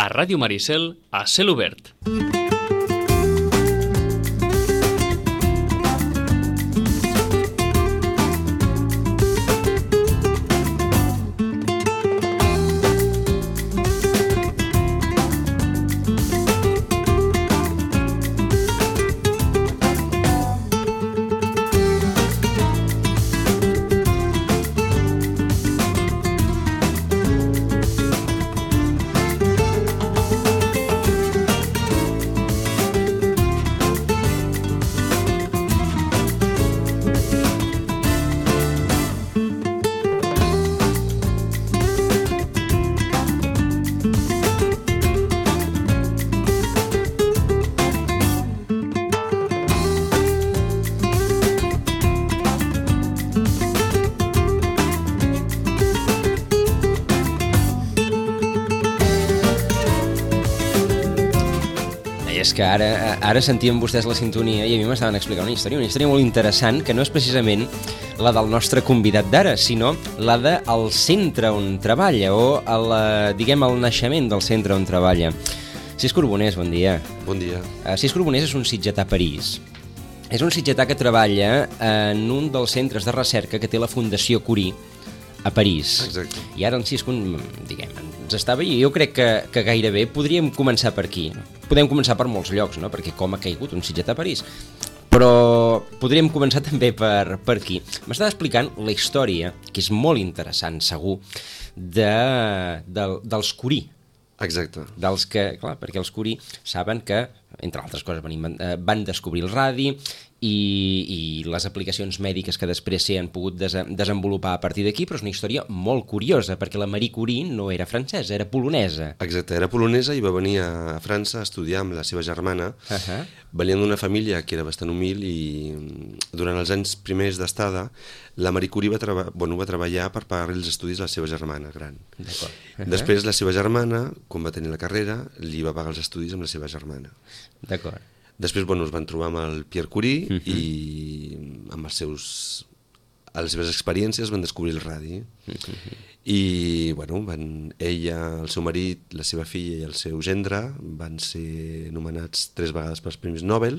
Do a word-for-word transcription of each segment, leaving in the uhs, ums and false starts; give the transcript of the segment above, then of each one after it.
a Ràdio Maricel, a Cel Obert. És que ara, ara sentíem vostès la sintonia i a mi m'estaven explicant una història, una història molt interessant, que no és precisament la del nostre convidat d'ara, sinó la del centre on treballa, o el, diguem, el naixement del centre on treballa. Cis Corbonés, bon dia. Bon dia. Cis Corbonés és un sitgetà a París. És un sitgetà que treballa en un dels centres de recerca que té la Fundació Curie a París. Exacte. I ara en Cis, diguem, ens estava, i jo crec que, que gairebé podríem començar per aquí. Podem començar per molts llocs, no? Perquè com ha caigut un sitgetà a París. Però podríem començar també per, per aquí. M'estava explicant la història, que és molt interessant, segur, de, de, dels Curie. Exacte. Dels que, clar, perquè els Curie saben que, entre altres coses, van, van descobrir el radi i, i les aplicacions mèdiques que després s'hi han pogut des, desenvolupar a partir d'aquí, però és una història molt curiosa, perquè la Marie Curie no era francesa, era polonesa. Exacte, era polonesa i va venir a França a estudiar amb la seva germana. Uh-huh. Venien d'una família que era bastant humil i durant els anys primers d'estada la Marie Curie va, treba- bueno, va treballar per pagar els estudis a la seva germana gran. D'acord. Uh-huh. Després la seva germana, quan va tenir la carrera, li va pagar els estudis amb la seva germana. D'acord. Després, bueno, es van trobar amb el Pierre Curie Uh-huh. i amb els seus, a les seves experiències van descobrir el radi. Uh-huh. I, bueno, van, ella, el seu marit, la seva filla i el seu gendre van ser nomenats tres vegades pels Premis Nobel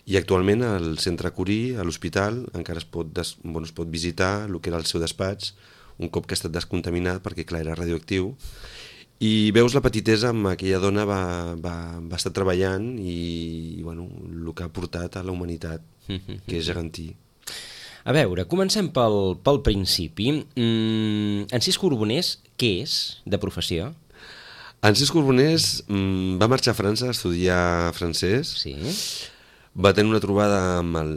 i actualment al Centre Curie, a l'hospital, encara es pot, des, bueno, es pot visitar el que era el seu despatx un cop que ha estat descontaminat perquè, clar, era radioactiu. I veus la petitesa amb aquella dona va, va, va estar treballant i, i bueno, el que ha portat a la humanitat, que és gegantí. A veure, comencem pel, pel principi. Mm, en Cis Corbonés, què és de professió? En Cis Corbonés mm, va marxar a França a estudiar francès. Sí. Va tenir una trobada amb, el,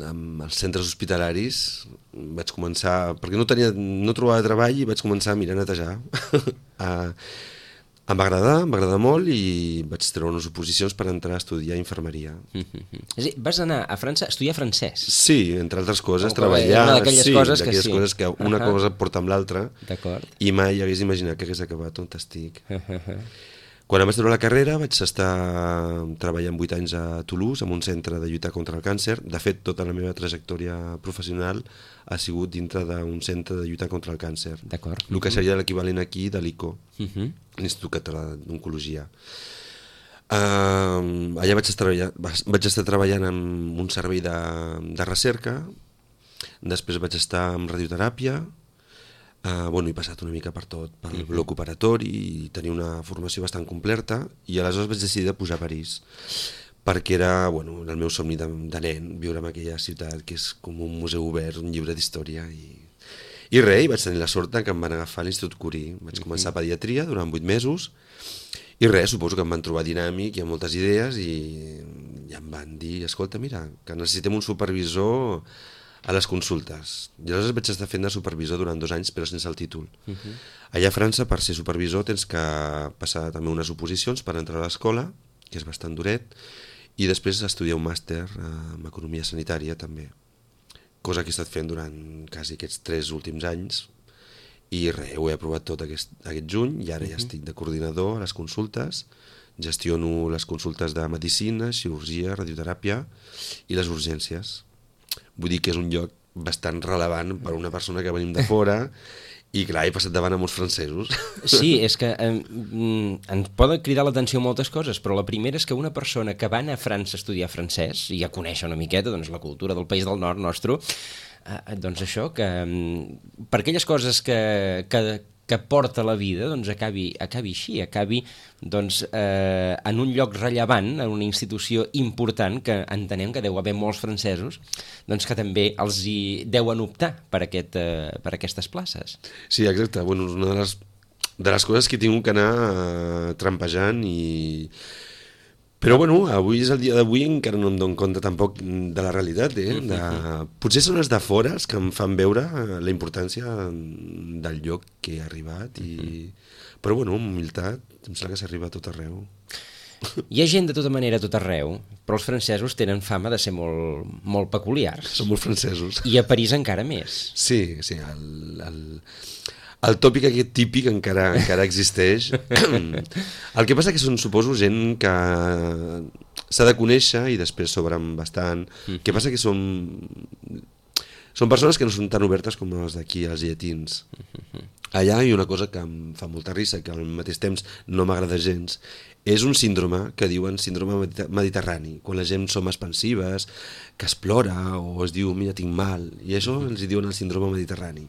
amb els centres hospitalaris. Vaig començar, perquè no, tenia, no trobava treball i vaig començar a mirar a netejar. a, em va agradar, em va agradar molt i vaig treure unes oposicions per entrar a estudiar infermeria. Mm-hmm. És a dir, vas anar a França a estudiar francès? Sí, entre altres coses, Com treballar, una d'aquelles sí, coses que d'aquelles sí. coses que una uh-huh. cosa porta amb l'altra. D'acord. I mai hagués imaginat que hagués acabat on estic. Uh-huh. Quan em vaig treure la carrera vaig estar treballant vuit anys a Toulouse, en un centre de lluitar contra el càncer. De fet, tota la meva trajectòria professional ha sigut dintre d'un centre de lluitar contra el càncer. D'acord. El que seria l'equivalent aquí de l'I C O, uh-huh. l'Institut Català d'Oncologia. Uh, allà vaig estar, vaig estar treballant en un servei de, de recerca, després vaig estar en radioteràpia. Uh, bueno, he passat una mica per tot, pel uh-huh. bloc operatori i tenia una formació bastant completa i aleshores vaig decidir de pujar a París perquè era, bueno, el meu somni de, de nen, viure en aquella ciutat que és com un museu obert, un llibre d'història i, i res, vaig tenir la sort que em van agafar a l'Institut Curie. Vaig uh-huh. començar pediatria durant vuit mesos i res, suposo que em van trobar dinàmic i amb moltes idees i, i em van dir, escolta, mira, que necessitem un supervisor a les consultes. I aleshores vaig estar fent de supervisor durant dos anys, però sense el títol. Uh-huh. Allà a França, per ser supervisor, tens que passar també unes oposicions per entrar a l'escola, que és bastant duret, i després estudiar un màster en economia sanitària, també. Cosa que he estat fent durant quasi aquests tres últims anys, i res, ho he aprovat tot aquest, aquest juny, i ara uh-huh. ja estic de coordinador a les consultes, gestiono les consultes de medicina, cirurgia, radioteràpia i les urgències. Vull dir que és un lloc bastant relevant per a una persona que venim de fora I clar, he passat davant a molts francesos. Sí, és que eh, ens poden cridar l'atenció moltes coses, però la primera és que una persona que va anar a França a estudiar francès i a conèixer una miqueta doncs, la cultura del país del nord nostre, eh, doncs això, que per aquelles coses que, que, que porta la vida, doncs acabi, acabi així, acabi doncs, eh, en un lloc rellevant, en una institució important, que entenem que deu haver molts francesos, doncs que també els hi deuen optar per, aquest, eh, per aquestes places. Sí, exacte. Bueno, és una de les, de les coses que he tingut que anar eh, trampejant i... Però bueno, avui és el dia d'avui, encara no em dono compte tampoc de la realitat, eh? De... Potser són els de fora els que em fan veure la importància del lloc que he arribat i... Però bueno, amb humilitat, em sembla que s'arriba a tot arreu. Hi ha gent de tota manera a tot arreu, però els francesos tenen fama de ser molt, molt peculiars. Són molt francesos. I a París encara més. Sí, sí, el... el... El tòpic aquest típic encara, encara existeix. El que passa que són, suposo, gent que s'ha de conèixer i després s'obren bastant. El que passa que són... Són persones que no són tan obertes com les d'aquí, els llatins. Allà hi ha una cosa que em fa molta risa, que al mateix temps no m'agrada gens, és un síndrome que diuen síndrome mediterrani, quan la gent som expansives, que es plora o es diu mira tinc mal, i això els diuen el síndrome mediterrani,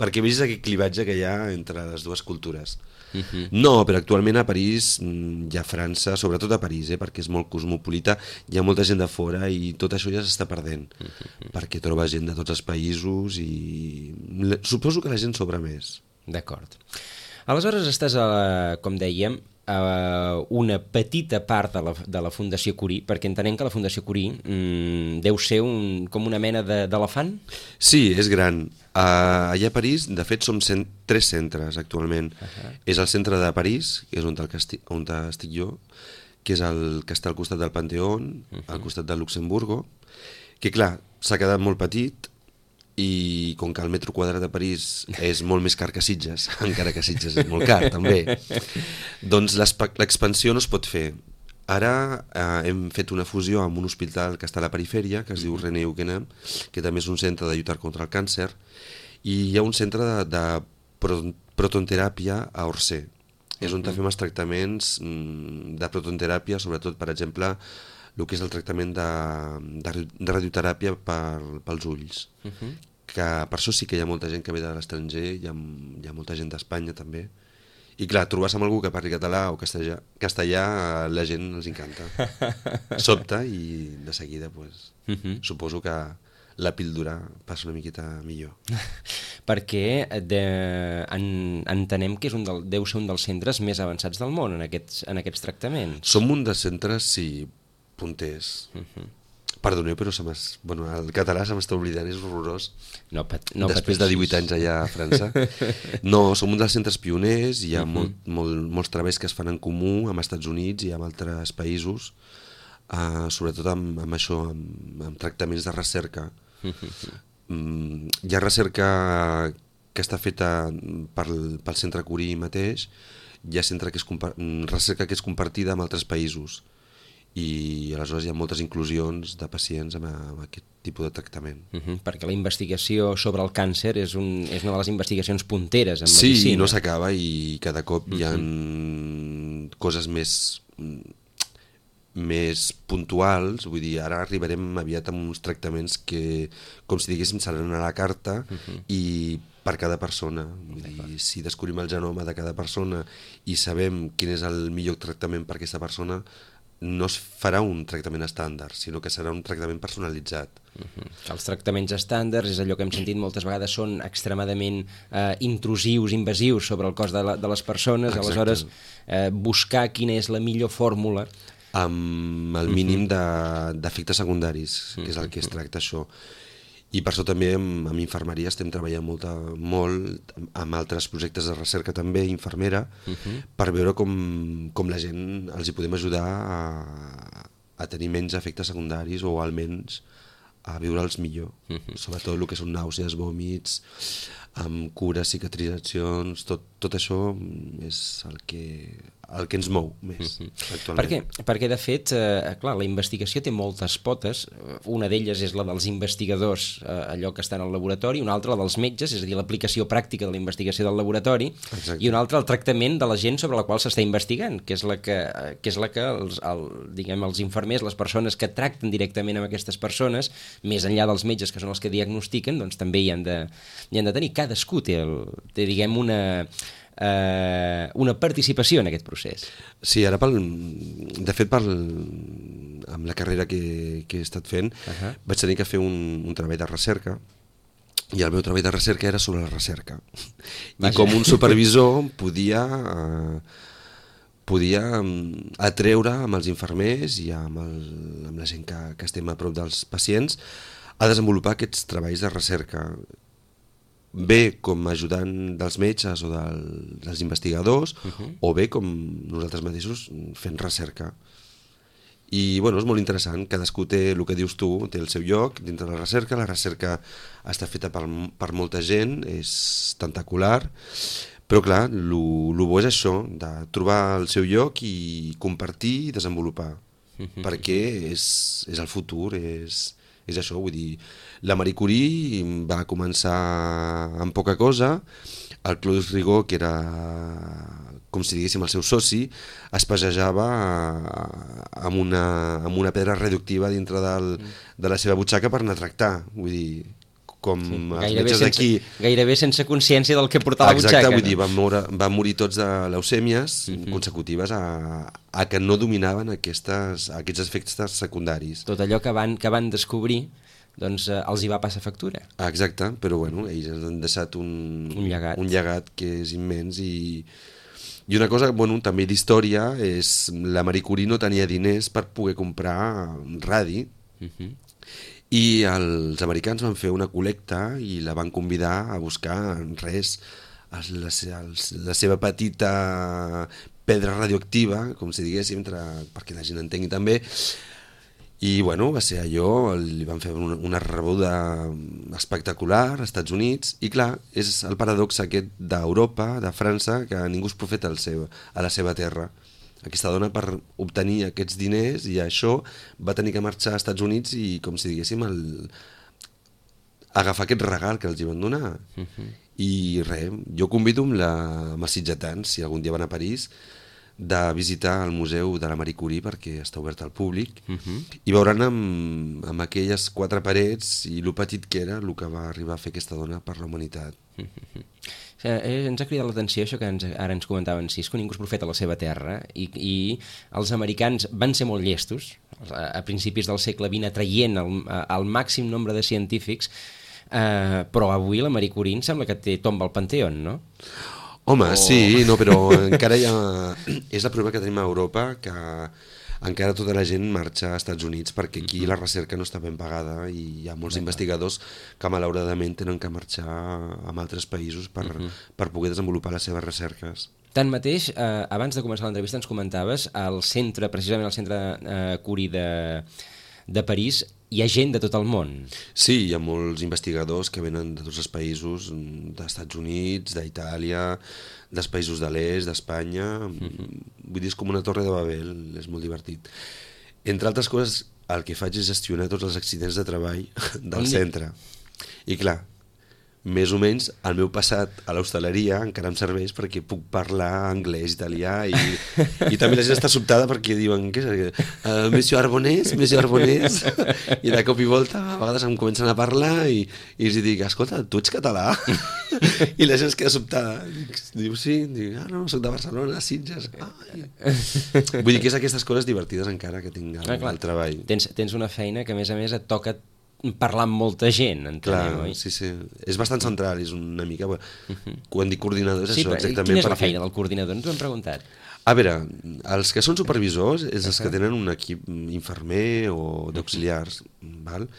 perquè vegis aquest clivatge que hi ha entre les dues cultures. Uh-huh. No, però actualment a París i a França, sobretot a París, eh, perquè és molt cosmopolita, hi ha molta gent de fora i tot això ja s'està perdent, uh-huh. perquè troba gent de tots els països i suposo que la gent sobra més. D'acord. Aleshores estàs, a, com dèiem, a una petita part de la, de la Fundació Curie, perquè entenem que la Fundació Curie mmm, deu ser un, com una mena d'elefant? Sí, és gran. Uh, allà a París, de fet, som cent, tres centres actualment. Uh-huh. És el centre de París, que és on, el estic, on estic jo, que és el que està al costat del Panteón, uh-huh. al costat del Luxemburgo, que clar, s'ha quedat molt petit, i com que el metro quadrat de París és molt més car que Sitges, encara que Sitges és molt car també, doncs l'expansió no es pot fer. Ara eh, hem fet una fusió amb un hospital que està a la perifèria, que es diu René Heuquenem, que també és un centre de lluitar contra el càncer, i hi ha un centre de, de protonteràpia a Orsay. És on fem els tractaments de protonteràpia, sobretot, per exemple, el que és el tractament de, de, de radioteràpia per, pels ulls. Uh-huh. Que per això sí que hi ha molta gent que ve de l'estranger, hi, ha, hi ha molta gent d'Espanya també. I clar, trobar-se amb algú que parli català o castellà, castellà la gent els encanta. Sobta i de seguida pues, uh-huh. suposo que la píldora passa una miqueta millor. Perquè de, en, entenem que és un del, deu ser un dels centres més avançats del món en aquests, en aquests tractaments. Som un dels centres, sí, punters. Uh-huh. Perdoneu, però se bueno, el català se m'està oblidant, és horrorós. No, pat, no Després de divuit anys allà a França. No, som un dels centres pioners, hi ha uh-huh. molt, molt, molts treballs que es fan en comú amb els Estats Units i amb altres països, uh, sobretot amb, amb això, amb, amb tractaments de recerca. Uh-huh. Um, hi ha recerca que està feta pel, pel Centre Curie mateix, hi ha centre que és recerca que és compartida amb altres països, i aleshores hi ha moltes inclusions de pacients amb, amb aquest tipus de tractament. Uh-huh, perquè la investigació sobre el càncer és, un, és una de les investigacions punteres en sí, medicina. Sí, no s'acaba i cada cop uh-huh. hi ha coses més, més puntuals, vull dir, ara arribarem aviat amb uns tractaments que, com si diguéssim, seran a la carta uh-huh. i per cada persona. Vull dir, si descobrim el genoma de cada persona i sabem quin és el millor tractament per aquesta persona, no es farà un tractament estàndard, sinó que serà un tractament personalitzat. Uh-huh. Els tractaments estàndards, és allò que hem sentit moltes vegades, són extremadament eh, intrusius, invasius sobre el cos de, la, de les persones. Exacte. Aleshores eh, buscar quina és la millor fórmula amb el mínim uh-huh. d'efectes de, secundaris, que és el que es tracta això. I per això també amb, amb infermeria estem treballant molta, molt amb altres projectes de recerca també, infermera, uh-huh. per veure com, com la gent els hi podem ajudar a, a tenir menys efectes secundaris o almenys a viure'ls millor. Uh-huh. Sobretot el que són nàusees, vòmits, amb cures, cicatritzacions, tot, tot això és el que el que ens mou més Uh-huh. actualment. Per què? Perquè, de fet, eh, clar, la investigació té moltes potes. Una d'elles és la dels investigadors, eh, allò que està en el laboratori, una altra la dels metges, és a dir, l'aplicació pràctica de la investigació del laboratori, Exacte. i una altra el tractament de la gent sobre la qual s'està investigant, que és la que, que, és la que els, el, diguem, els infermers, les persones que tracten directament amb aquestes persones, més enllà dels metges, que són els que diagnostiquen, doncs també hi han de, hi han de tenir. Cadascú té, el, té diguem, una... Eh, una participació en aquest procés. Sí, ara pel, de fet pel, amb la carrera que, que he estat fent uh-huh. vaig tenir que fer un, un treball de recerca i el meu treball de recerca era sobre la recerca. Vaja. I com un supervisor podia eh, podia atreure amb els infermers i amb, el, amb la gent que, que estem a prop dels pacients a desenvolupar aquests treballs de recerca, bé com a ajudant dels metges o del, dels investigadors, uh-huh. o bé com nosaltres mateixos fent recerca. I bueno, és molt interessant, cadascú té el que dius tu, té el seu lloc dintre de la recerca, la recerca està feta per, per molta gent, és tentacular, però clar, el bo és això, de trobar el seu lloc i compartir i desenvolupar, uh-huh. perquè és, és el futur, és... és això, vull dir, la Marie Curie va començar amb poca cosa, el Claude Rigaud, que era, com si diguéssim, el seu soci, es passejava amb una, amb una pedra radioactiva dintre del, de la seva butxaca per anar a tractar, vull dir, com sí, els metges d'aquí... Gairebé sense consciència del que portava la butxaca. Exacte, vull dir, van, moure, van morir tots de leucèmies uh-huh. consecutives a, a que no dominaven aquestes, aquests efectes secundaris. Tot allò que van, que van descobrir, doncs eh, els hi va passar factura. Ah, exacte, però bueno, ells han deixat un, un, llegat. un llegat que és immens i... I una cosa, bueno, també d'història, és la Marie Curie no tenia diners per poder comprar radi, uh-huh. i els americans van fer una col·lecta i la van convidar a buscar res, la, la seva petita pedra radioactiva, com si diguéssim, entre, perquè la gent entengui també, i bueno, va ser allò, li van fer una, una rebuda espectacular als Estats Units, i clar, és el paradox aquest d'Europa, de França, que ningú és profeta al seu, a la seva terra. Aquesta dona, per obtenir aquests diners i això, va tenir que marxar als Estats Units i, com si diguéssim, el... agafar aquest regal que els hi van donar. Uh-huh. I res, jo convido amb, la... amb els sitgetans, si algun dia van a París, de visitar el museu de la Marie Curie, perquè està obert al públic, uh-huh. i veuran amb, amb aquelles quatre parets i lo petit que era el que va arribar a fer aquesta dona per la humanitat. Uh-huh. Eh, ens ha cridat l'atenció això que ens, ara ens comentaven, sí, és que ningú és profeta a la seva terra, i, i els americans van ser molt llestos a, a principis del segle vint, atraient el, el màxim nombre de científics, eh, però avui la Marie Curie em sembla que té tomba al Panteón, no? Home, o... sí, no, però encara hi ha... és el problema que tenim a Europa, que encara tota la gent marxa als Estats Units perquè aquí uh-huh. la recerca no està ben pagada i hi ha molts uh-huh. investigadors que malauradament tenen que marxar a altres països per, uh-huh. per poder desenvolupar les seves recerques. Tanmateix, eh, abans de començar l'entrevista ens comentaves, al centre, precisament al centre eh, Curie de, de París, hi ha gent de tot el món. Sí, hi ha molts investigadors que venen de tots els països, dels Estats Units, d'Itàlia, dels països de l'est, d'Espanya. Mm-hmm. Vull dir, és com una torre de Babel, és molt divertit. Entre altres coses, el que faig és gestionar tots els accidents de treball del centre. I clar, més o menys el meu passat a l'hostaleria encara em serveix perquè puc parlar anglès, italià, i, i també la gent està sobtada perquè diuen què és, uh, Monsieur Arbonès, Monsieur Arbonès, i de cop i volta a vegades em comencen a parlar i, i els dic, escolta, tu ets català? I la gent es queda sobtada. Diu, sí, dic, ah, no, soc de Barcelona, Sitges. Ai. Vull dir que és aquestes coses divertides encara que tinc al, ah, al treball. Tens, tens una feina que a més a més et toca parlar amb molta gent, entenem, clar, oi? Sí, sí. És bastant central, és una mica... Uh-huh. Quan dic coordinador és sí, això, exactament. Quina és perquè... la feina del coordinador? Ens ho hem preguntat. A veure, els que són supervisors és els uh-huh. que tenen un equip infermer o d'auxiliars, uh-huh. val?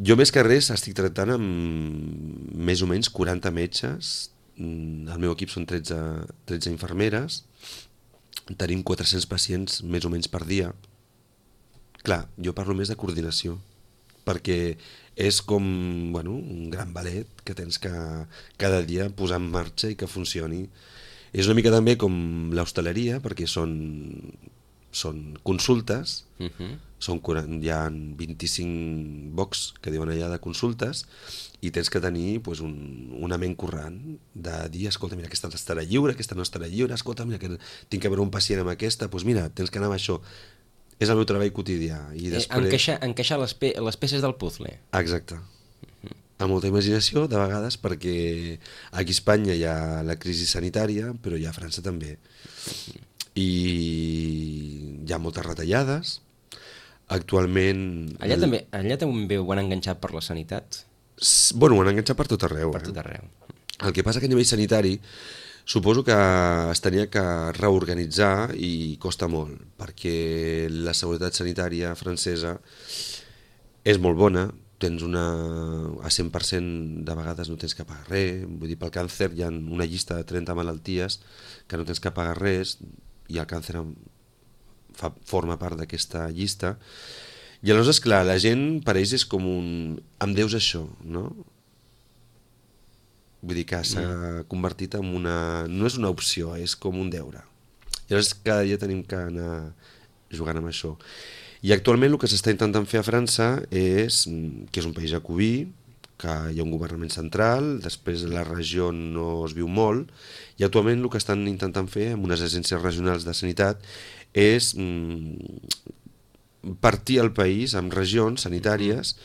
Jo més que res estic tractant amb més o menys quaranta metges, el meu equip són tretze, tretze infermeres, tenim quatre-cents pacients més o menys per dia. Clar, jo parlo més de coordinació, perquè és com, bueno, un gran ballet que tens que cada dia posar en marxa i que funcioni. És una mica també com l'hostaleria, perquè són, són consultes, Uh -huh. són, quaranta hi ha vint-i-cinc box que diuen allà de consultes, i tens que tenir pues, un, una ment corrent de dir, escolta, mira, aquesta estarà lliure, aquesta no estarà lliure, escolta, mira, que tinc que veure un pacient amb aquesta, doncs mira, tens que anar amb això. És el meu treball quotidià. I després... encaixar, encaixar les, pe les peces del puzzle. Exacte. Amb molta imaginació, de vegades, perquè aquí a Espanya hi ha la crisi sanitària, però hi ha a França també. I hi ha moltes retallades. Actualment... Allà també, allà també ho han enganxat per la sanitat? Bueno, ho han enganxat per tot arreu. Per eh? tot arreu. El que passa que a nivell sanitari suposo que es tenia que reorganitzar i costa molt, perquè la seguretat sanitària francesa és molt bona, tens una... a cent per cent de vegades no tens que pagar res, vull dir, pel càncer hi ha una llista de trenta malalties que no tens que pagar res, i el càncer fa, forma part d'aquesta llista, i aleshores, clar, la gent per ells és com un... em deus això, no? Vull dir que s'ha mm. convertit en una... no és una opció, és com un deure. I llavors cada dia tenim que anar jugant amb això. I actualment el que s'està intentant fer a França és, que és un país jacobí, que hi ha un governament central, després la regió no es viu molt, i actualment el que estan intentant fer amb unes agències regionals de sanitat és mm, partir el país en regions sanitàries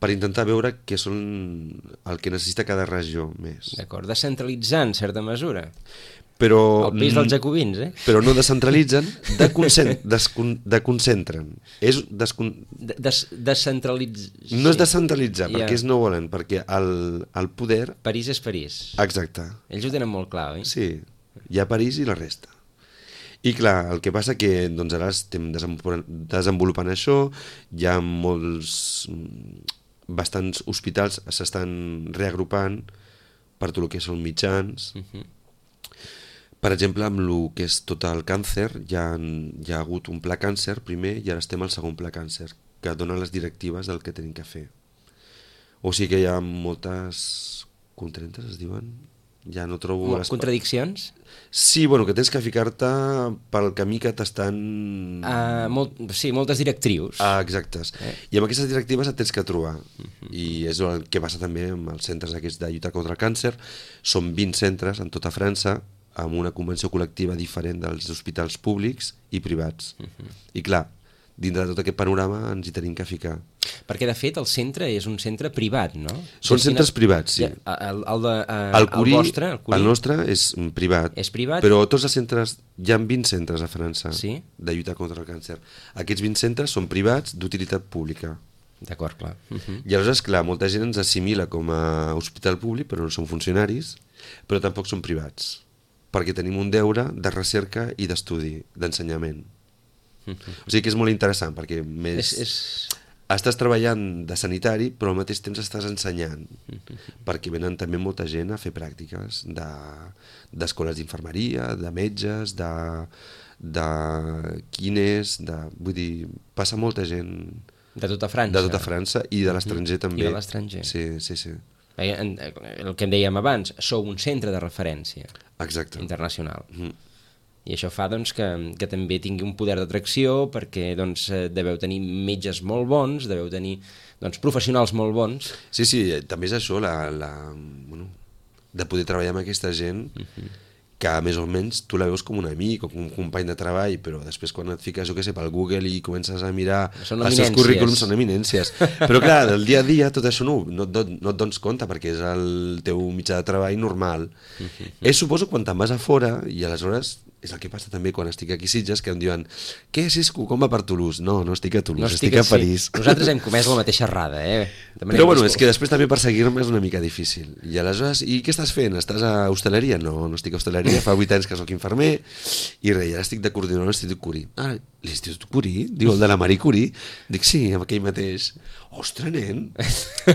per intentar veure què són el que necessita cada regió més. D'acord, descentralitzar en certa mesura. Però, el país dels jacobins, eh? Però no descentralitzen, deconcentren. És descon... Des, descentralitz... No és descentralitzar, sí. perquè ells no volen, perquè el, el poder... París és París. Exacte. Ells ho tenen molt clar, oi? Sí, hi ha París i la resta. I clar, el que passa que doncs, ara estem desenvolupant, desenvolupant això, hi ha molts... bastants hospitals s'estan reagrupant per tot el que són mitjans. Uh-huh. Per exemple, amb el que és tot el càncer, hi ha, hi ha hagut un pla càncer primer i ara estem al segon pla càncer, que dona les directives del que tenim que fer. O sigui que hi ha moltes contraentes, es diuen? Ja no trobo... Les... Contradiccions? Sí, bueno, que tens que ficar-te pel camí que t'estan... Uh, molt, sí, moltes directrius. Ah, exactes. Eh? I amb aquestes directives et tens que trobar. Uh-huh. I és el que passa també amb els centres aquests de lluita contra el càncer. Són vint centres en tota França, amb una convenció col·lectiva diferent dels hospitals públics i privats. Uh-huh. I clar, dintre de tot aquest panorama ens hi tenim que ficar. Perquè, de fet, el centre és un centre privat, no? Són Destinat... centres privats, sí. Ja, el, el, de, uh, el, Curie, el vostre, el Curie... El nostre és privat. És privat? Però tots els centres... Hi ha vint centres a França, sí? De lluita contra el càncer. Aquests vint centres són privats d'utilitat pública. D'acord, clar. Uh-huh. I aleshores, clar, molta gent ens assimila com a hospital públic, però no són funcionaris, però tampoc són privats, perquè tenim un deure de recerca i d'estudi, d'ensenyament. Uh-huh. O sigui que és molt interessant, perquè més... És, és... estàs treballant de sanitari, però al mateix temps estàs ensenyant, uh-huh. perquè venen també molta gent a fer pràctiques de, d'escoles d'infermeria, de metges, de, de quines, de, vull dir, passa molta gent... De tota França. De tota França i de l'estranger uh-huh. també. I de l'estranger. Sí, sí, sí. El que en dèiem abans, sou un centre de referència. Exacte. Internacional. Uh-huh. I això fa doncs, que, que també tingui un poder d'atracció, perquè doncs, deveu tenir metges molt bons, deveu tenir doncs, professionals molt bons. Sí, sí, també és això, la, la, bueno, de poder treballar amb aquesta gent, uh-huh. que més o menys tu la veus com un amic o com un company de treball, però després quan et fiques, jo què sé, pel Google i comences a mirar els seus currículums, són eminències. Però clar, del dia a dia tot això no, no, no, no et dones compte, perquè és el teu mitjà de treball normal. Uh-huh. És, suposo, quan te'n vas a fora, i aleshores és el que passa també quan estic aquí a Sitges, que em diuen, què, Cisco, com va per Toulouse? No, no estic a Toulouse, no estic, estic a sí. París. Nosaltres hem comès la mateixa errada, eh? Però bueno, és que després també perseguir-me és una mica difícil. I aleshores, i què estàs fent? Estàs a hostaleria? No, no estic a hostaleria, fa vuit anys que sóc infermer, i res, ara estic de coordinador a l'Institut Curie. Ah, l'Institut Curie? Diu, el de la Marie Curie? Dic, sí, amb aquell mateix. Ostres, nen!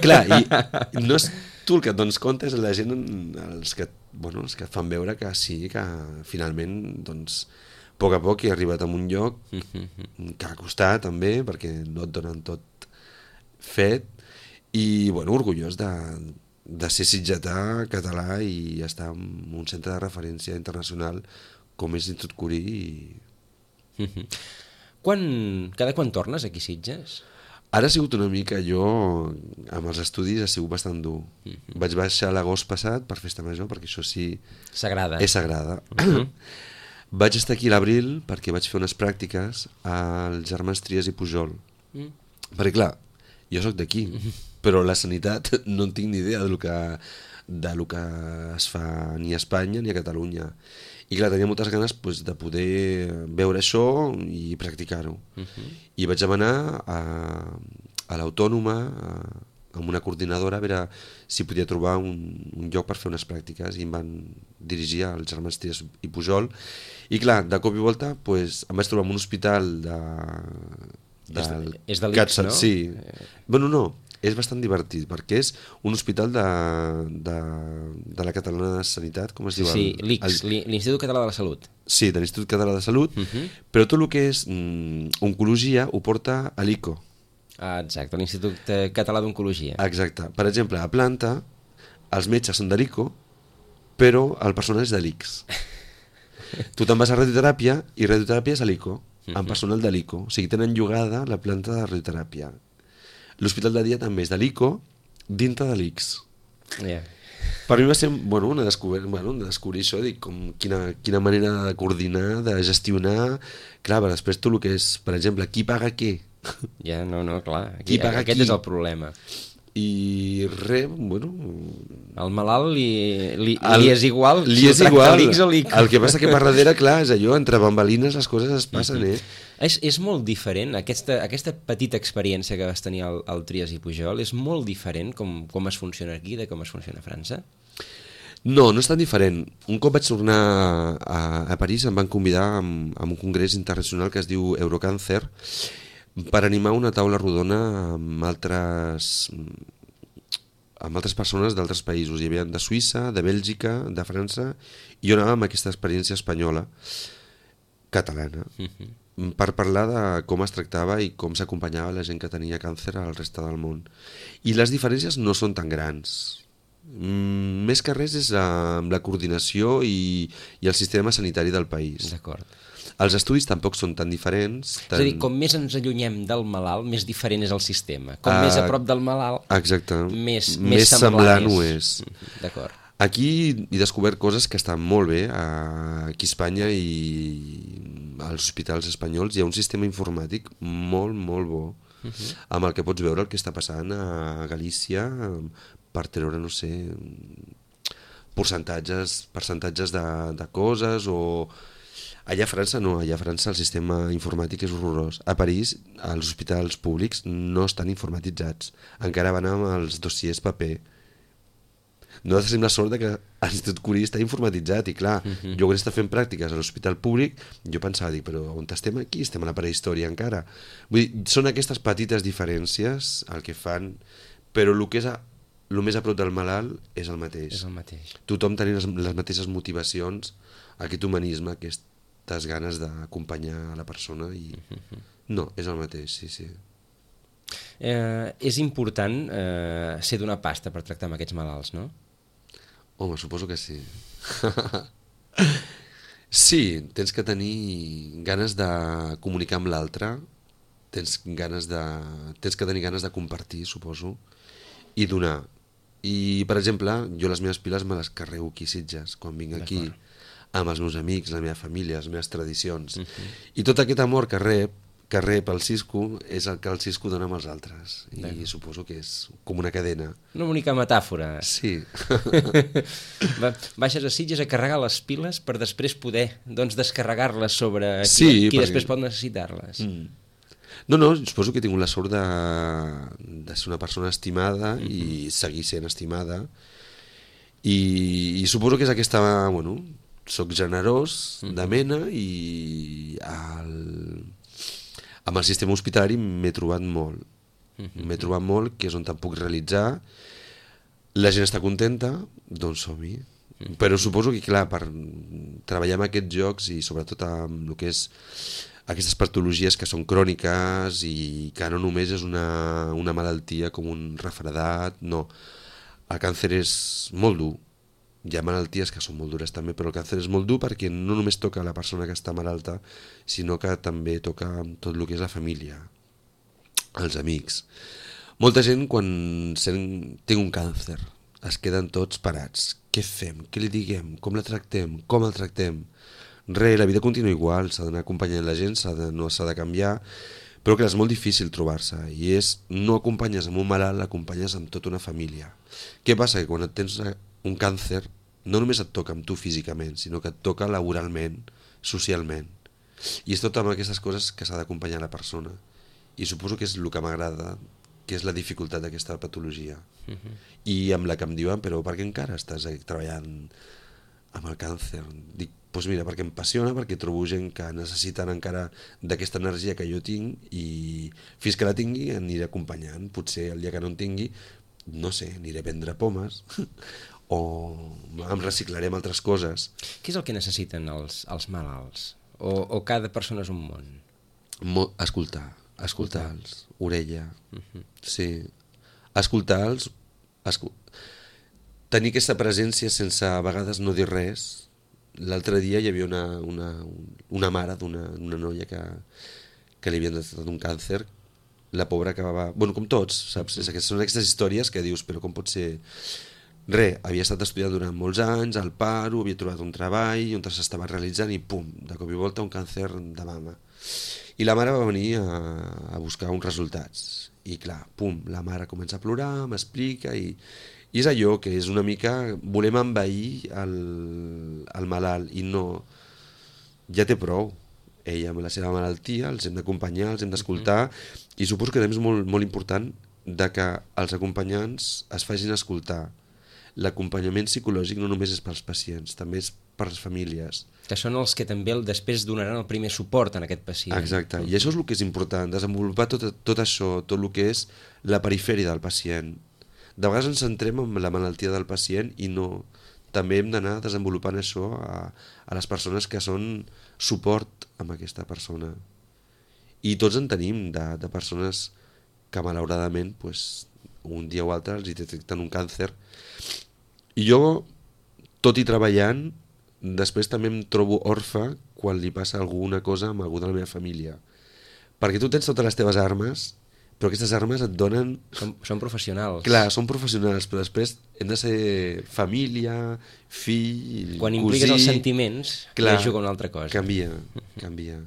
Clar, i no és tu el que et dones compte, és la gent, els que, bueno, els que et fan veure que sí, que finalment, doncs, a poc a poc he arribat a un lloc que ha costat també, perquè no et donen tot fet, i, bueno, orgullós de, de ser sitgetà, català i estar en un centre de referència internacional com és l'Institut Curí. I... Mm-hmm. Quan, cada quan tornes aquí a Sitges? Ara ha sigut una mica, jo amb els estudis ha sigut bastant dur. Mm-hmm. Vaig baixar l'agost passat per Festa Major, perquè això sí... Sagrada. És sagrada. Mm-hmm. Vaig estar aquí a l'abril perquè vaig fer unes pràctiques als germans Trias i Pujol. Mm. Perquè clar, jo sóc d'aquí, mm-hmm. però la sanitat no en tinc ni idea del que, del que es fa ni a Espanya ni a Catalunya. I clar, tenia moltes ganes pues, de poder veure això i practicar-ho. Uh-huh. I vaig demanar a, a l'Autònoma, a, amb una coordinadora, a veure si podia trobar un, un lloc per fer unes pràctiques, i em van dirigir als germans Trias i Pujol. I clar, de cop i volta pues, em vaig trobar en un hospital de... de és de, és de l'I C S, no? Sí. Bueno, no, és bastant divertit, perquè és un hospital de, de, de la Catalana de Sanitat, com es diu? Sí, l'I C S, l'Institut Català de la Salut. Sí, de l'Institut Català de Salut, uh-huh. però tot el que és mm, oncologia ho porta a l'I C O. Ah, exacte, l'Institut Català d'Oncologia. Exacte. Per exemple, a Planta, els metges són de l'I C O, però el personal és de l'I C S. Tu te'n vas a radioteràpia i radioteràpia és a l'I C O, uh-huh. amb personal de l'I C O. O sigui, tenen llogada la planta de radioteràpia. L'hospital de dia també és de l'I C O dintre de l'I C S. Yeah. Per mi va ser bueno, una descobrir, bueno, de descobrir això, dic, com quina, quina manera de coordinar, de gestionar. Clar, però després tot el que és, per exemple, qui paga què? Ja, no, no, clar. Aquí, qui paga aquest qui? És el problema. I res, bueno... El malalt li, li, el, li és igual li si és igual. l'I C S o l'I C O. El que passa que per darrere, clar, és allò, entre bambalines les coses es passen, eh? És, és molt diferent, aquesta, aquesta petita experiència que vas tenir al, al Trias i Pujol, és molt diferent com, com es funciona aquí de com es funciona a França? No, no és tan diferent. Un cop vaig tornar a, a París em van convidar a, a un congrés internacional que es diu Eurocàncer per animar una taula rodona amb altres, amb altres persones d'altres països. Hi havia de Suïssa, de Bèlgica, de França, i jo anava amb aquesta experiència espanyola, catalana, uh-huh. per parlar de com es tractava i com s'acompanyava la gent que tenia càncer al reste del món. I les diferències no són tan grans. Mm, més que res és la, la coordinació i, i el sistema sanitari del país. D'acord. Els estudis tampoc són tan diferents. Tan... És a dir, com més ens allunyem del malalt, més diferent és el sistema. Com uh, més a prop del malalt, exacte. més, més, més semblant ho és. D'acord. Aquí he descobert coses que estan molt bé. Aquí a Espanya i als hospitals espanyols hi ha un sistema informàtic molt, molt bo, uh-huh. amb el que pots veure el que està passant a Galícia per treure, no sé, percentatges, percentatges de, de coses o... Allà a França no, allà a França el sistema informàtic és horrorós. A París els hospitals públics no estan informatitzats, encara van amb els dossiers paper. Nosaltres tenim la sort que l'Institut Curí està informatitzat i clar, uh-huh. jo quan estava fent pràctiques a l'hospital públic jo pensava, dic, però on estem aquí? Estem a la prehistòria encara. Vull dir, són aquestes petites diferències el que fan, però el que és a, el més a prop del malalt és el mateix. És el mateix. Tothom tenim les, les mateixes motivacions, aquest humanisme, aquestes ganes d'acompanyar a la persona i... Uh-huh. No, és el mateix, sí, sí. Eh, és important eh, ser d'una pasta per tractar amb aquests malalts, no? Home, suposo que sí. Sí, tens que tenir ganes de comunicar amb l'altre, tens, ganes de... tens que tenir ganes de compartir, suposo, i donar. I, per exemple, jo les meves piles me les carrego aquí a Sitges, quan vinc aquí, amb els meus amics, la meva família, les meves tradicions. Uh-huh. I tot aquest amor que rep, que rep el Cisco és el que el Cisco dona amb els altres. I D'acord. Suposo que és com una cadena. Una bonica metàfora. Sí. Va, baixes a Sitges a carregar les piles per després poder doncs, descarregar-les sobre qui, sí, qui perquè... després pot necessitar-les. Mm. No, no, suposo que he tingut la sort de, de ser una persona estimada uh-huh. i seguir sent estimada. I, i suposo que és aquesta... Bueno, soc generós, uh-huh. de mena, i el... amb el sistema hospitalari m'he trobat molt. Uh-huh. M'he trobat molt, que és on te'n puc realitzar. La gent està contenta, doncs som-hi. Uh-huh. Però suposo que, clar, per treballar en aquests jocs i sobretot amb el que és aquestes patologies que són cròniques i que no només és una, una malaltia com un refredat, no. El càncer és molt dur, hi ha malalties que són molt dures també, però el càncer és molt dur perquè no només toca la persona que està malalta, sinó que també toca tot el que és la família, els amics. Molta gent quan sent, té un càncer es queden tots parats. Què fem? Què li diguem? Com la tractem? Com el tractem? Re, la vida continua igual, s'ha d'anar acompanyant la gent, s'ha de, no s'ha de canviar, però que és molt difícil trobar-se, i és, no acompanyes amb un malalt, l'acompanyes amb tota una família. Què passa? Que quan et tens un càncer, no només et toca amb tu físicament, sinó que et toca laboralment, socialment. I és tot amb aquestes coses que s'ha d'acompanyar la persona. I suposo que és el que m'agrada, que és la dificultat d'aquesta patologia. Uh-huh. I amb la que em diuen, però per què encara estàs treballant amb el càncer? Dic, doncs mira, perquè em passiona, perquè trobo gent que necessiten encara d'aquesta energia que jo tinc i fins que la tingui aniré acompanyant. Potser el dia que no en tingui, no sé, aniré a vendre pomes o em reciclaré amb altres coses. Què és el que necessiten els, els malalts? O, o cada persona és un món? Mo escoltar, escoltar-los, orella, uh-huh. Sí, escoltar-los, escol tenir aquesta presència sense a vegades no dir res. L'altre dia hi havia una, una, una mare d'una una noia que, que li havien detectat un càncer. La pobra acabava... Bueno, com tots, saps? És aquestes, són aquestes històries que dius, però com pot ser... Re, havia estat estudiant durant molts anys, al paro, havia trobat un treball, on s'estava realitzant i pum, de cop i volta un càncer de mama. I la mare va venir a, a buscar uns resultats. I clar, pum, la mare comença a plorar, m'explica i... I és allò que és una mica... Volem envair el, el malalt i no... Ja té prou. Ella amb la seva malaltia, els hem d'acompanyar, els hem d'escoltar, uh-huh. I suposo que també és molt, molt important de que els acompanyants es facin escoltar. L'acompanyament psicològic no només és pels pacients, també és per les famílies. Que són els que també el, després donaran el primer suport en aquest pacient. Exacte, uh-huh. I això és el que és important, desenvolupar tot, tot això, tot el que és la perifèria del pacient. De vegades ens centrem en la malaltia del pacient i no. També hem d'anar desenvolupant això a, a les persones que són suport amb aquesta persona. I tots en tenim de, de persones que malauradament pues, un dia o altre els detecten un càncer. I jo, tot i treballant, després també em trobo orfe quan li passa alguna cosa amb algú de la meva família. Perquè tu tens totes les teves armes, però aquestes armes et donen... Són, són professionals. Clar, són professionals, però després hem de ser família, fill, quan cosí... impliques els sentiments, clar, ja juga una altra cosa. Canvia, canvia.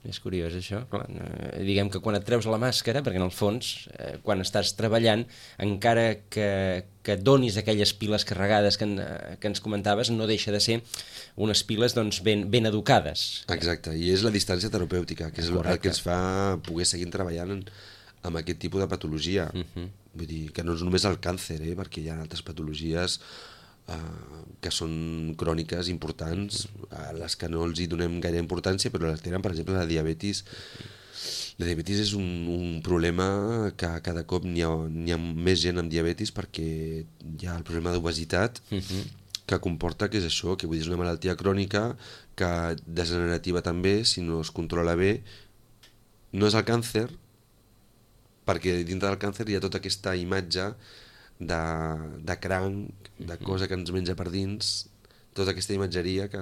És curiós això. Clar, eh, diguem que quan et treus la màscara, perquè en el fons, eh, quan estàs treballant, encara que, que donis aquelles piles carregades que, en, que ens comentaves, no deixa de ser unes piles doncs, ben, ben educades. Exacte, i és la distància terapèutica, que és Correcte. El que ens fa poder seguir treballant en, amb aquest tipus de patologia. Uh-huh. Vull dir, que no és només el càncer, eh? Perquè hi ha altres patologies eh, que són cròniques importants, a les que no els hi donem gaire importància, però les tenen, per exemple, la diabetis. La diabetis és un, un problema que cada cop n'hi ha, n'hi ha més gent amb diabetis perquè hi ha el problema d'obesitat, uh-huh. que comporta que és això, que vull dir, és una malaltia crònica, que degenerativa també, si no es controla bé. No és el càncer, perquè dintre del càncer hi ha tota aquesta imatge de, de cranc, de cosa que ens menja per dins, tota aquesta imatgeria que,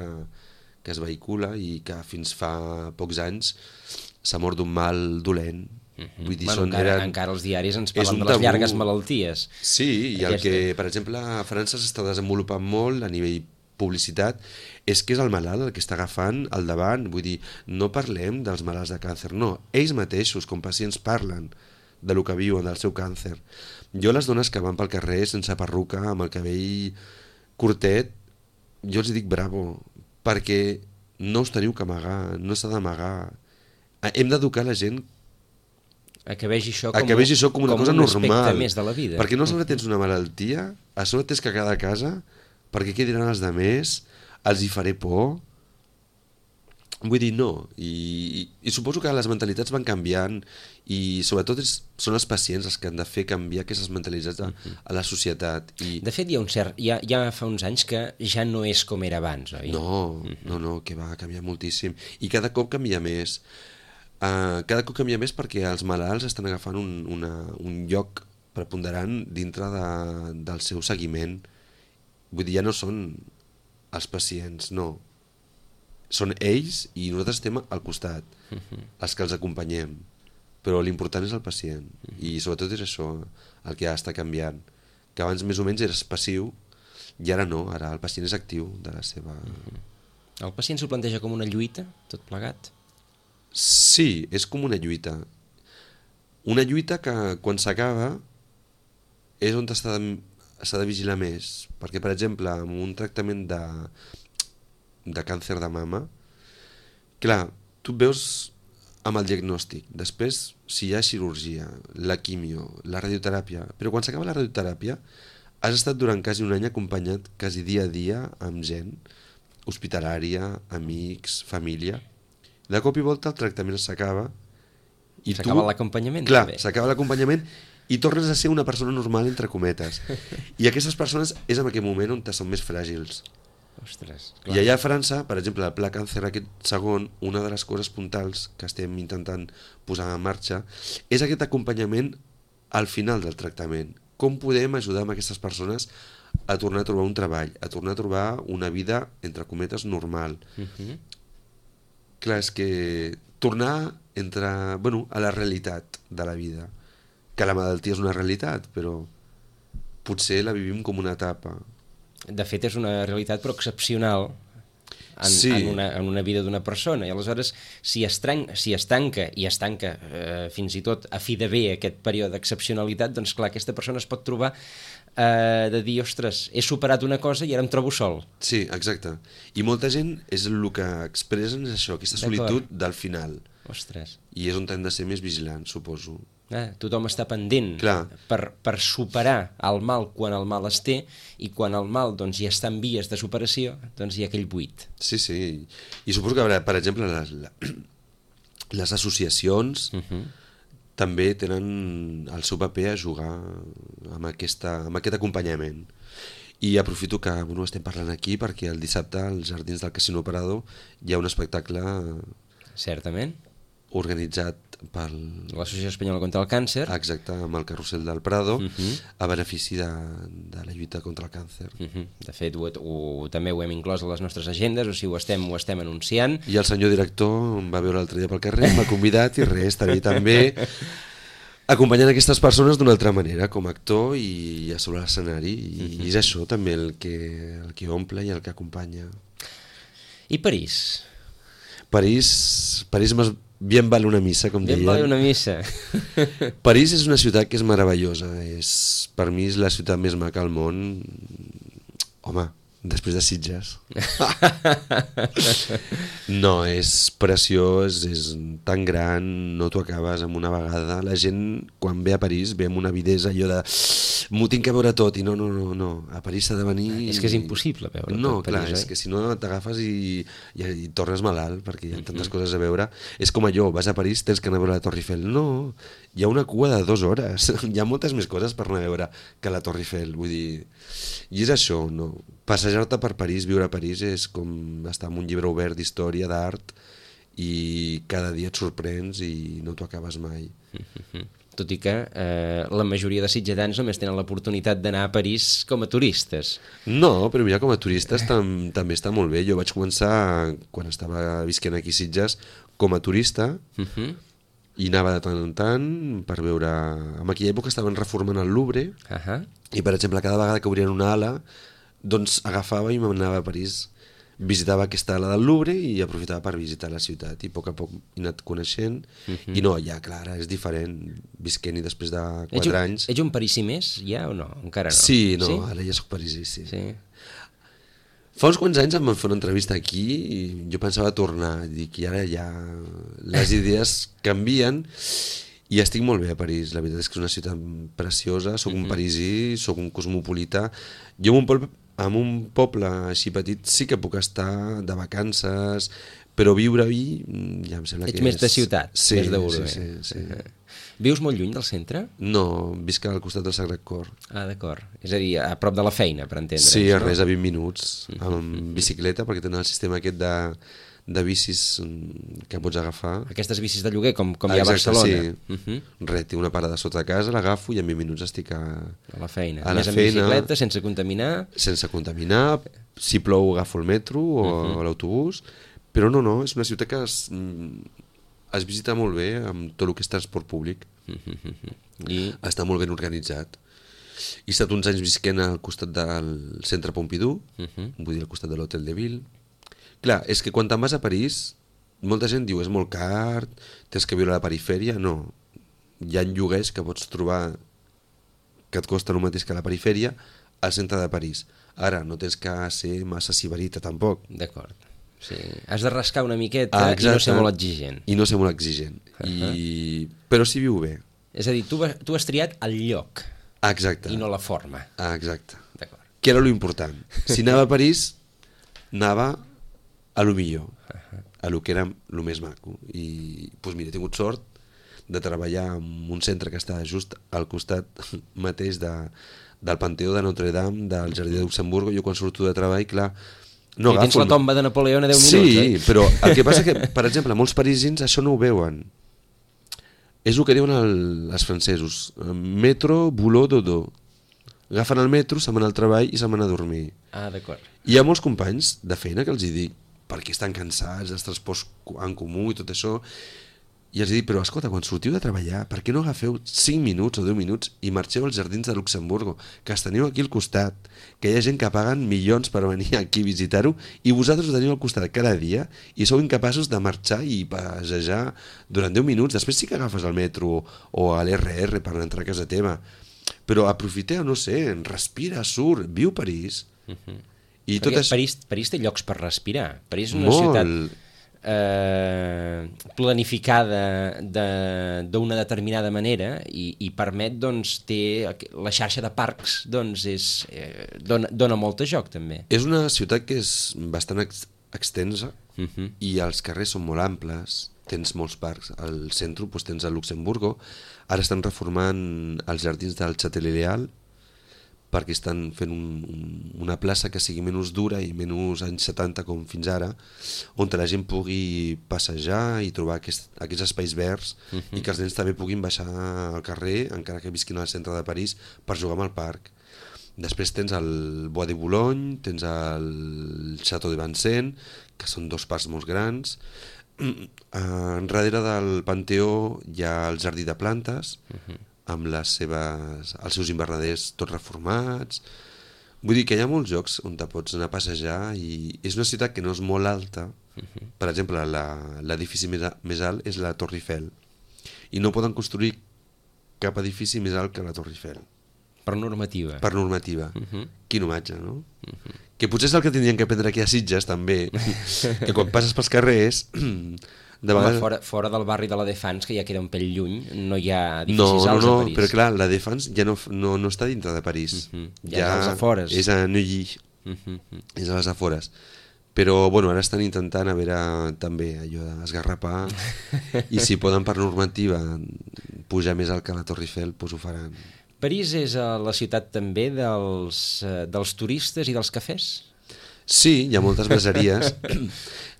que es vehicula i que fins fa pocs anys s'ha mort d'un mal dolent. Uh-huh. Vull dir, bueno, són, encara, eren, encara els diaris ens parlen de les tabú. Llargues malalties. Sí, i el Aquesta... que, per exemple, a França s'està desenvolupant molt a nivell publicitat, és que és el malalt el que està agafant al davant. Vull dir, no parlem dels malalts de càncer, no. Ells mateixos, com pacients, parlen de lo que viuen, del seu càncer. Jo les dones que van pel carrer sense perruca, amb el cabell curtet, jo els dic bravo, perquè no us teniu que amagar, no s'ha d'amagar. Hem d'educar la gent a que vegi això com, a que vegi això com una com cosa un normal. Més de la vida. Perquè no a sobre tens una malaltia, a sobre tens que quedar a casa, perquè què diran els demés, els hi faré por. Vull dir, no. I, i, i suposo que les mentalitats van canviant i sobretot és, són els pacients els que han de fer canviar aquestes mentalitats a, a la societat. I... De fet, hi ha un cert... Ja, ja fa uns anys que ja no és com era abans, oi? No, no, no, que va canviar moltíssim. I cada cop canvia més. Uh, cada cop canvia més perquè els malalts estan agafant un, una, un lloc preponderant dintre de, del seu seguiment. Vull dir, ja no són els pacients, no. Són ells i nosaltres estem al costat, uh-huh. els que els acompanyem. Però l'important és el pacient. Uh-huh. I sobretot és això el que ha d'estar canviant. Que abans més o menys eres passiu i ara no, ara el pacient és actiu de la seva... Uh-huh. El pacient s'ho planteja com una lluita, tot plegat? Sí, és com una lluita. Una lluita que quan s'acaba és on s'ha de, s'ha de vigilar més. Perquè, per exemple, amb un tractament de, de càncer de mama, clar, tu et veus amb el diagnòstic. Després, si hi ha cirurgia, la quimio, la radioteràpia... Però quan s'acaba la radioteràpia, has estat durant quasi un any acompanyat quasi dia a dia amb gent hospitalària, amics, família. De cop i volta el tractament s'acaba i tu... S'acaba l'acompanyament. Clar, també. s'acaba l'acompanyament i tornes a ser una persona normal, entre cometes. I aquestes persones és en aquell moment on són més fràgils. Ostres, clar. I allà a França, per exemple, el Pla Càncer aquest segon, una de les coses puntals que estem intentant posar en marxa és aquest acompanyament al final del tractament. Com podem ajudar amb aquestes persones a tornar a trobar un treball, a tornar a trobar una vida, entre cometes, normal. Uh-huh. Clar, és que tornar entre, bueno, a la realitat de la vida. Que la malaltia és una realitat, però potser la vivim com una etapa. De fet, és una realitat però excepcional en, sí. en, una, en una vida d'una persona. I aleshores, si es, tran si es tanca, i es tanca eh, fins i tot a fi de bé aquest període d'excepcionalitat, doncs clar, aquesta persona es pot trobar eh, de dir, ostres, he superat una cosa i ara em trobo sol. Sí, exacte. I molta gent és el que expressen és això, aquesta solitud del final. Ostres. I és on hem de ser més vigilants, suposo. Eh, tothom està pendent per, per superar el mal quan el mal es té, i quan el mal doncs, ja està en vies de superació, doncs hi ha aquell buit. Sí, sí. I suposo que, per exemple, les, les associacions uh-huh. també tenen el seu paper a jugar amb, aquesta, amb aquest acompanyament. I aprofito que bueno, estem parlant aquí perquè el dissabte als Jardins del Casino Prado hi ha un espectacle certament organitzat per l'Associació Espanyola contra el Càncer. Exacte, amb el Carrusel del Prado, uh-huh. a benefici de, de la lluita contra el càncer. Uh-huh. De fet, ho, ho, també ho hem inclòs a les nostres agendes, o sigui, ho estem, ho estem anunciant. I el senyor director em va veure l'altre dia pel carrer, m'ha convidat i res, estaré també acompanyant aquestes persones d'una altra manera, com a actor i a sobre l'escenari. I, uh-huh. i és això també el que, el que omple i el que acompanya. I París? París, París m'has... Bien vale una missa, com deien. Bien vale una missa. París és una ciutat que és meravellosa. És, per mi és la ciutat més maca al món. Home, després de Sitges. No, és preciós, és tan gran, no t'ho acabes amb una vegada. La gent, quan ve a París, ve amb una avidesa, allò de... M'ho tinc que veure tot, i no, no, no, no. A París s'ha de venir... És que és impossible veure no, tot clar, París, és oi? que si no t'agafes i, i, i tornes malalt, perquè hi ha tantes coses a veure. És com allò, vas a París, tens que anar a veure la Torre Eiffel. No, hi ha una cua de dues hores. Hi ha moltes més coses per anar a veure que la Torre Eiffel, vull dir... I és això, no? Passejar-te per París, viure a París, és com estar en un llibre obert d'història, d'art, i cada dia et sorprens i no t'ho acabes mai. Tot i que eh, la majoria de sitgetans només tenen l'oportunitat d'anar a París com a turistes. No, però mira, com a turistes tam també està molt bé. Jo vaig començar, quan estava visquent aquí a Sitges, com a turista, uh-huh. i anava de tant en tant per veure... En aquella època estaven reformant el Louvre, uh-huh. i per exemple, cada vegada que obrien una ala, doncs agafava i m'anava a París. Visitava aquesta ala del Louvre i aprofitava per visitar la ciutat i a poc a poc he anat coneixent uh-huh. i no, ja clar, és diferent visquent-hi després de quatre ets un, anys. Ets un parisí més ja o no? Encara no? Sí, no, sí? Ara ja soc parisí, sí. sí. Fa uns quants anys em van fer una entrevista aquí i jo pensava tornar, dic, i ara ja les idees canvien i estic molt bé a París. La veritat és que és una ciutat preciosa, soc uh-huh. un parisí, soc un cosmopolita. Jo en un poble en un poble així petit sí que puc estar de vacances, però viure-hi ja em sembla Ets que és... més de ciutat, sí, més d'urbe. Sí, sí, sí. Uh-huh. Vius molt lluny del centre? No, visc al costat del Sagrat Cor. Ah, d'acord. És a dir, a prop de la feina, per entendre'ns. Sí, a no? res, a vint minuts, amb bicicleta, perquè tenen el sistema aquest de, de bicis mm, que pots agafar. Aquestes bicis de lloguer, com, com Ah, hi ha a exacte, Barcelona. sí. Uh -huh. Res, té una parada sota casa, l'agafo i en vint minuts estic a, A la feina. a la Més en feina, bicicleta, sense contaminar. sense contaminar, si plou agafo el metro o uh -huh. l'autobús, però no, no, és una ciutat que es, es visita molt bé amb tot el que és transport públic. Uh -huh. I... Està molt ben organitzat. He estat uns anys visquent al costat del centre Pompidou, uh -huh. vull dir al costat de l'Hotel de Ville. Clar, és que quan te'n vas a París, molta gent diu és molt car, tens que viure a la perifèria. No, hi ha lloguers que pots trobar que et costa el mateix que a la perifèria al centre de París. Ara, no tens que ser massa sibarita tampoc. D'acord. Sí. Has de rascar una miqueta Ah, i no ser molt exigent. I no ser molt exigent. Uh -huh. I... Però si viu bé. És a dir, tu, tu has triat el lloc Ah, exacte. i no la forma. Ah, exacte. D'acord. Que era lo important. Si anava a París, anava a lo millor, uh -huh. a lo que era lo més maco. I, doncs mira, he tingut sort de treballar en un centre que està just al costat mateix de, del Panteó de Notre Dame, del Jardí de Luxemburgo. Jo quan surto de treball, clar, no I tens agafo... la tomba de Napoleó a deu sí, minuts, eh? Sí, però el que passa que, per exemple, molts parisins això no ho veuen. És el que diuen el, els francesos. Metro, boulot, dodo. Agafen el metro, se'n van al treball i se'n van a dormir. Ah, d'acord. Hi ha molts companys de feina que els hi dic, perquè estan cansats dels transports en comú i tot això, i els dic, però escolta, quan sortiu de treballar, per què no agafeu cinc minuts o deu minuts i marxeu als jardins de Luxemburgo, que els teniu aquí al costat, que hi ha gent que paguen milions per venir aquí a visitar-ho, i vosaltres ho teniu al costat cada dia i sou incapaços de marxar i passejar durant deu minuts. Després sí que agafes el metro o l'R R per entrar a casa teva, però aprofiteu, no sé, respira, surt, viu París. Uh -huh. I Perquè tot és... París, París té llocs per respirar. París és una Molt. ciutat eh, planificada d'una de, determinada manera i, i permet, doncs, té la xarxa de parcs, doncs, és, eh, dona, dona molt de joc, també. És una ciutat que és bastant ex extensa Uh -huh. i els carrers són molt amples, tens molts parcs. Al centre doncs, tens el Luxemburgo, ara estan reformant els jardins del Châtelet-Léal perquè estan fent un, un, una plaça que sigui menys dura i menys anys setanta com fins ara, on la gent pugui passejar i trobar aquest, aquests espais verds uh -huh. i que els nens també puguin baixar al carrer, encara que visquin al centre de París, per jugar al parc. Després tens el Bois de Boulogne, tens el Château de Vincennes, que són dos parcs molt grans. Enrere del Panteó hi ha el Jardí de Plantes, uh -huh. amb les seves, els seus invernaders tots reformats. Vull dir que hi ha molts llocs on te pots anar a passejar i és una ciutat que no és molt alta. Uh -huh. Per exemple, l'edifici més, més alt és la Torre Eiffel i no poden construir cap edifici més alt que la Torre Eiffel. Per normativa. Per normativa. Uh -huh. Quin homatge, no? Uh -huh. Que potser és el que tindrien que aprendre aquí a Sitges, també. Que quan passes pels carrers... De vegades... Home, fora, fora del barri de la Défense, que ja queda un pell lluny, no hi ha edificis no, no, alts no, a París. però clar, la Défense ja no, no, no està dintre de París. Uh -huh. Ja, ja és als afores. És a Neuilly. Uh -huh. És a les afores. Però bueno, ara estan intentant a veure també allò d'esgarrapar i si poden per normativa pujar més alt que la Torre Eiffel, doncs ho faran. París és la ciutat també dels, dels turistes i dels cafès? Sí, hi ha moltes braseries,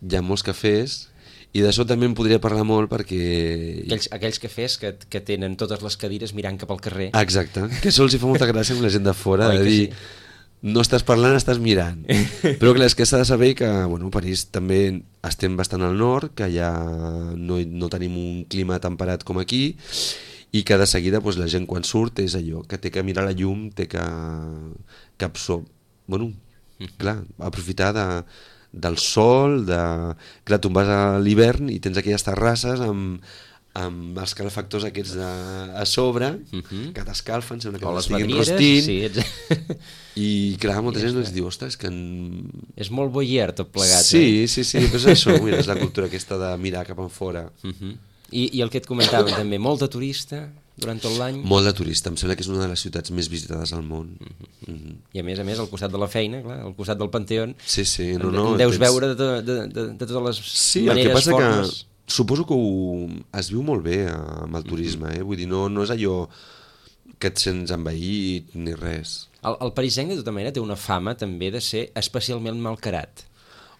hi ha molts cafès, i d'això també en podria parlar molt perquè... Aquells, aquells cafès que, que tenen totes les cadires mirant cap al carrer. Exacte, que això els hi fa molta gràcia amb la gent de fora, Oi, de dir, sí? no estàs parlant, estàs mirant. Però clar, és que s'ha de saber que, bueno, París també estem bastant al nord, que ja no, no tenim un clima temperat com aquí, i que de seguida doncs, la gent quan surt és allò, que té que mirar la llum, té que, que absorb... Bueno, clar, aprofitar de, del sol, de... Clar, tu vas a l'hivern i tens aquelles terrasses amb, amb els calefactors aquests de, a sobre, uh -huh. que t'escalfen, sembla que estiguin rostint. Sí, ets... I clar, molta gent ens diu, ostres, que... En... És molt voyeur tot plegat, sí, eh? Sí, sí, sí, però és això, mira, és la cultura aquesta de mirar cap enfora. Uh -huh. I, I el que et comentàvem també, molt de turista durant tot l'any. Molt de turista, em sembla que és una de les ciutats més visitades al món. Uh -huh. Uh -huh. I a més a més, al costat de la feina, clar, al costat del Panteó, sí, sí, no, no, en deus tens... veure de, de, de, de totes les sí, maneres, el que passa formes. Que suposo que ho, es viu molt bé amb el turisme, eh? Vull dir, no, no és allò que et sents envaït ni res. El, el parisenc, de tota manera, té una fama també de ser especialment malcarat.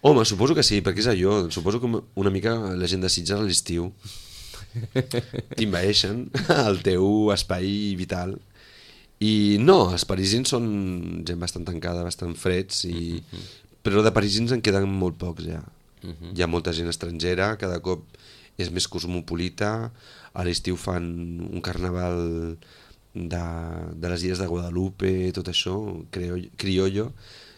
Home, suposo que sí, perquè és allò. Suposo que una mica la gent de Sitges a l'estiu t'invaeixen el teu espai vital. I no, els parisins són gent bastant tancada, bastant freds, i... però de parisins en queden molt pocs ja. Hi ha molta gent estrangera, cada cop és més cosmopolita, a l'estiu fan un carnaval de, de les illes de Guadalupe, tot això, criollo.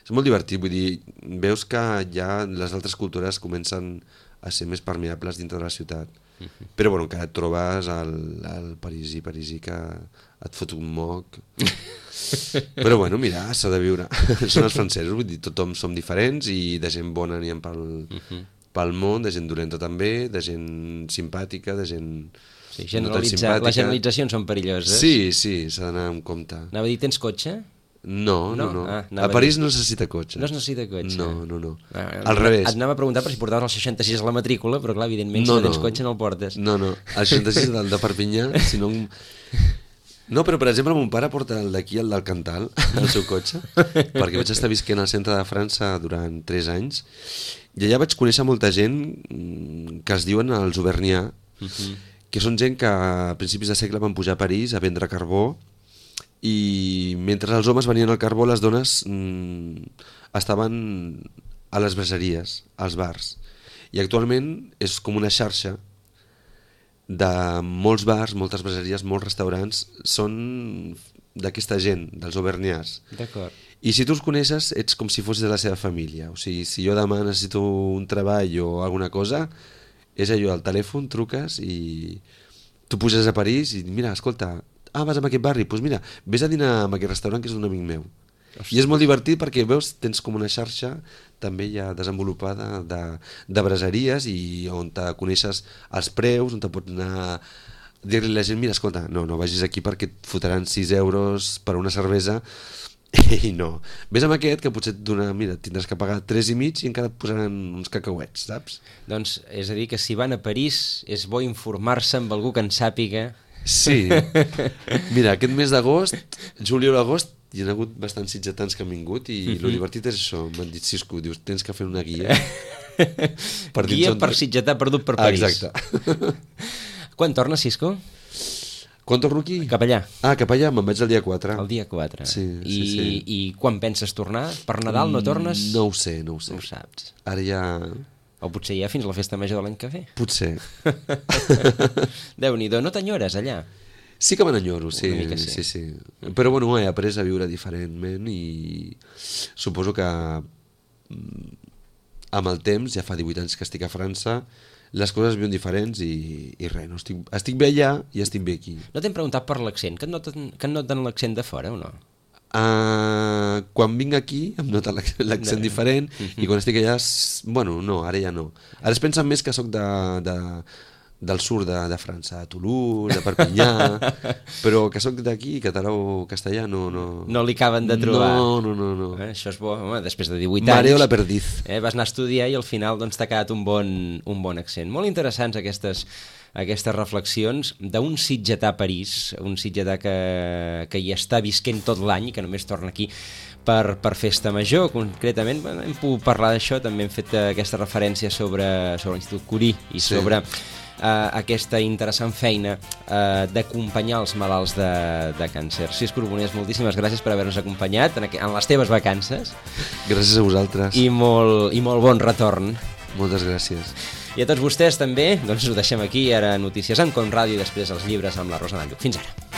És molt divertit, vull dir, veus que ja les altres cultures comencen a ser més permeables dintre de la ciutat. Uh-huh. Però bueno, encara et trobes al, al parisí, parisí que et fot un moc. Però bueno, mira, s'ha de viure. Són els francesos, vull dir, tothom som diferents i de gent bona n'hi ha pel, uh-huh. pel món, de gent dolenta també, de gent simpàtica, de gent... Sí, generalitzar, no les generalitzacions són perilloses. Sí, sí, s'ha d'anar amb compte. Anava a dir, tens cotxe? No, no, no. Ah, a París no necessita cotxe. No es necessita cotxe? No, no, no. Ah, al revés. Et anava a preguntar per si portaves el seixanta-sis a la matrícula, però clar, evidentment, no, si no tens no. cotxe no el portes. No, no, el seixanta-sis del de Perpinyà, si no... No, però per exemple mon pare porta el d'aquí, el del Cantal, el seu cotxe, perquè vaig estar visquent al centre de França durant tres anys, i allà vaig conèixer molta gent que es diuen els Auvergnats, uh-huh. que són gent que a principis de segle van pujar a París a vendre carbó, i mentre els homes venien al carbó, les dones mmm, estaven a les braseries, als bars. I actualment és com una xarxa de molts bars, moltes braseries, molts restaurants, són d'aquesta gent, dels Auvergnats. D'acord. I si tu els coneixes, ets com si fossis de la seva família. O sigui, si jo demà necessito un treball o alguna cosa, és allò, al telèfon, truques i tu puges a París i mira, escolta, ah, vas a aquest barri, doncs mira, vés a dinar a aquest restaurant que és d'un amic meu. Ostres. I és molt divertit perquè veus, tens com una xarxa també ja desenvolupada de, de braseries i on te coneixes els preus, on te pots anar a dir-li a la gent, mira, escolta, no, no vagis aquí perquè et fotran sis euros per una cervesa i no. Vés amb aquest que potser et dona, mira, tindràs que pagar tres i mig i encara et posaran uns cacauets, saps? Doncs és a dir que si van a París és bo informar-se amb algú que en sàpiga. Sí, mira, aquest mes d'agost, juliol o agost, hi ha hagut bastants sitgetans que han vingut i mm-hmm. lo divertit és això, m'han dit Cisco, dius, tens que fer una guia per guia per sitgetà perdut per París. Exacte. Quan tornes, Cisco? Quan torno aquí? Cap allà. Ah, cap allà, me'n vaig el dia quatre. El dia quatre. Sí, I, sí, sí. I quan penses tornar? Per Nadal no tornes? No ho sé, no ho sé. No ho saps. Ara ja... O potser ja fins a la festa major de l'any que ve. Potser. Déu-n'hi-do, no t'enyores allà? Sí que me n'enyoro, sí, sí. sí, sí. Però bueno, he après a viure diferentment i suposo que amb el temps, ja fa divuit anys que estic a França, les coses viuen diferents i, i res, no estic, estic bé allà i estic bé aquí. No t'hem preguntat per l'accent, que et noten, que et noten l'accent de fora o no? Uh, quan vinc aquí em nota l'accent no. diferent i quan estic allà, bueno, no, ara ja no. Ara es pensen més que sóc de... de del sud de, de França, de Toulouse, de Perpinyà, però que sóc d'aquí, català o castellà, no, no... No li acaben de trobar. No, no, no. no. Eh, això és bo, home, després de divuit anys... Mareo la perdiz. Eh, vas anar a estudiar i al final doncs, t'ha quedat un bon, un bon accent. Molt interessants aquestes, aquestes reflexions d'un sitgetà a París, un sitgetà que, que hi està visquent tot l'any i que només torna aquí per, per festa major, concretament. Bueno, hem pogut parlar d'això, també hem fet aquesta referència sobre, sobre l'Institut Curie i sí. sobre... Uh, aquesta interessant feina uh, d'acompanyar els malalts de, de càncer. Cisco Urbonès, moltíssimes gràcies per haver-nos acompanyat en, en les teves vacances. Gràcies a vosaltres. I molt, i molt bon retorn. Moltes gràcies. I a tots vostès també, doncs ho deixem aquí, ara notícies en Com Ràdio i després els llibres amb la Rosa Nalluc. Fins ara.